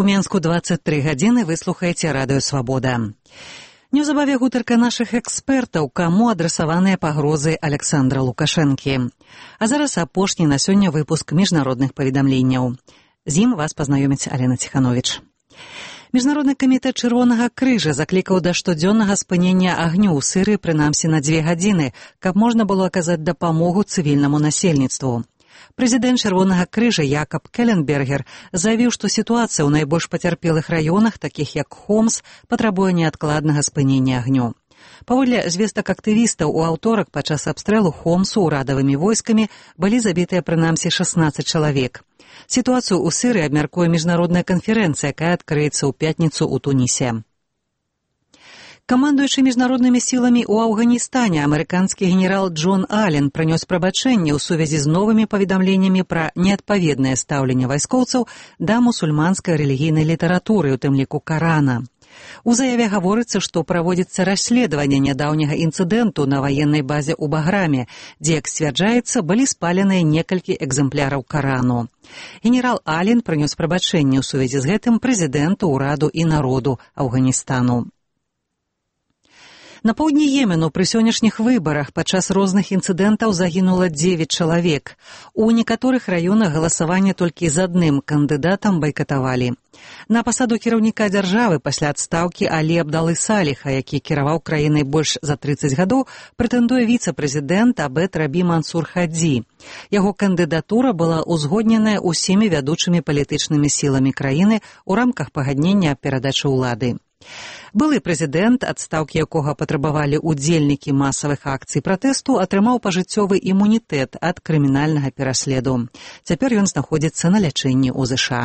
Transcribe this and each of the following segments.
У Менску 23 гадзіны вы слухаеце радыё «Свабода». Неўзабаве гутарка нашых экспертаў, каму адрасаваныя пагрозы Александра Лукашэнкі. А зараз апошні на сёння выпуск міжнародных паведамленняў. З ім вас пазнаёміць Алена Ціхановіч. Міжнародны камітэт Чырвонага крыжа заклікаў да штодзённага спынення агню ў Сірыі прынамсі на 2 гадзіны, каб можна было аказаць дапамогу цывільнаму насельніцтву. Прэзідэнт Чырвонага крыжа Якаб Келленбергер заявіў, што сітуацыя ў найбольш пацярпелых раёнах, такіх як Хомс, патрабуе неадкладнага спынення агню. Паводле звестак актывістаў, у аўторак падчас абстрэлу Хомсу ўрадавымі войскамі былі забітыя прынамсі 16 чалавек. Сітуацыю ў Сірыі абмяркуе міжнародная канферэнцыя, якая адкрыецца ў пятніцу ў Тунісе. Камандуючы міжнароднымі сіламі ў Афганістане амерыканскі генерал Джон Аллен прынёс прабачэнне ў сувязі з новымі паведамленнямі пра неадпаведнае стаўленне вайскоўцаў да мусульманскай рэлігійнай літаратуры, у тым ліку Карана. У заяве гаворыцца, што праводзіцца расследаванне нядаўняга інцыдэнту на ваеннай базе ў Баграме, дзе, як сцвярджаецца, былі спаленыя некалькі экзэмпляраў Карану. Генерал Аллен прынёс прабачэнне ў сувязі з гэтым прэзідэнту, ураду і народу Афганістану. На поўдні Йемену пры сённяшніх выбарах падчас розных інцыдэнтаў загінула 9 чалавек. У некаторых раёнах галасаванне толькі з адным кандыдатам байкатавалі. На пасаду кіраўніка дзяржавы пасля адстаўкі Алі Абдалы Саліха, які кіраваў краінай больш за 30 гадоў, прэтэндуе віцэ-прэзідэнт Абед Рабі Мансур Хадзі. Яго кандыдатура была ўзгодненая ўсімі вядучымі палітычнымі сіламі краіны ў рамках пагаднення аб перадачы ўлады. Былы прэзідэнт, адстаўкі якога патрабавалі ўдзельнікі масавых акцый пратэсту, атрымаў пажыццёвы імунітэт ад крымінальнага пераследу. Цяпер ён знаходзіцца на лячэнні ў ЗША.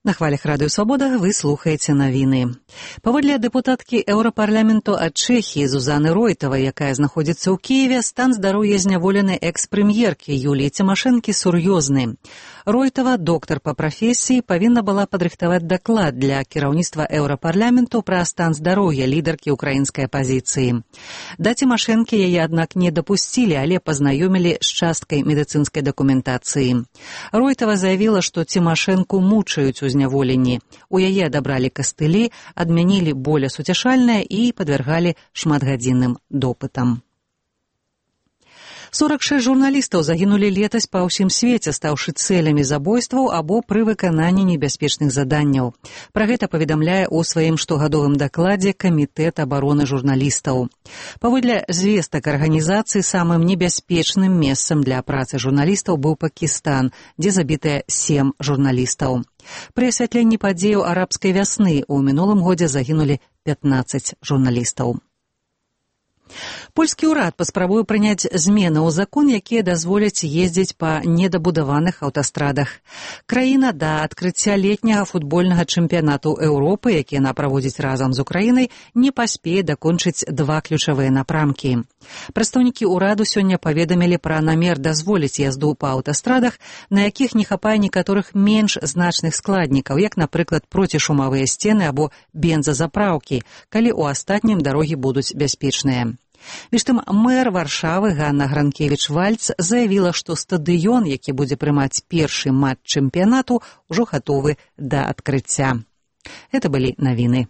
На хвалях радыё «Свабода» вы слухаеце навіны. Паводле дэпутаткі Еўрапарламенту ад Чэхіі Зузаны Ройтавай, якая знаходзіцца ў Кіеве, стан здароўя зняволенай экс-прэм'еркі Юліі Цімашэнкі сур'ёзны. Ройтава, доктар па прафесіі, павінна была падрыхтаваць даклад для кіраўніцтва Еўрапарламенту пра стан здароўя лідаркі ўкраінскай апазіцыі. Да Цімашэнкі яе, аднак, не дапусцілі, але пазнаёмілі з часткай медыцынскай дакументацыі. Ройтава заявіла, што Цімашэнку мучаюць у зняволенні. У яе адабралі кастылі, адмянілі болесуцяшальнае і падвяргалі шматгадзінным допытам. 46 журналістаў загінулі летась па ўсім свеце, стаўшы цэлямі забойстваў або пры выкананні небяспечных заданняў. Пра гэта паведамляе ў сваім штогадовым дакладзе Камітэт абароны журналістаў. Паводле звестак арганізацыі, самым небяспечным месцам для працы журналістаў быў Пакістан, дзе забітыя 7 журналістаў. Пры асвятленні падзеяў арабскай вясны ў мінулым годзе загінулі 15 журналістаў. Польскі ўрад паспрабуе прыняць змены ў закон, якія дазволяць ездзіць па недабудаваных аўтастрадах. Краіна да адкрыцця летняга футбольнага чэмпіянату Еўропы, які яна праводзіць разам з Украінай, не паспее дакончыць 2 ключавыя напрамкі. Прадстаўнікі ўраду сёння паведамілі пра намер дазволіць язду па аўтастрадах, на якіх не хапае некаторых менш значных складнікаў, як, напрыклад, процішумавыя сцены або бензазапраўкі, калі ў астатнім дарогі будуць бяспечныя. Між тым, мэр Варшавы Ганна Гранкевіч-Вальц заявіла, што стадыён, які будзе прымаць першы матч чэмпіянату, ужо гатовы да адкрыцця. Гэта былі навіны.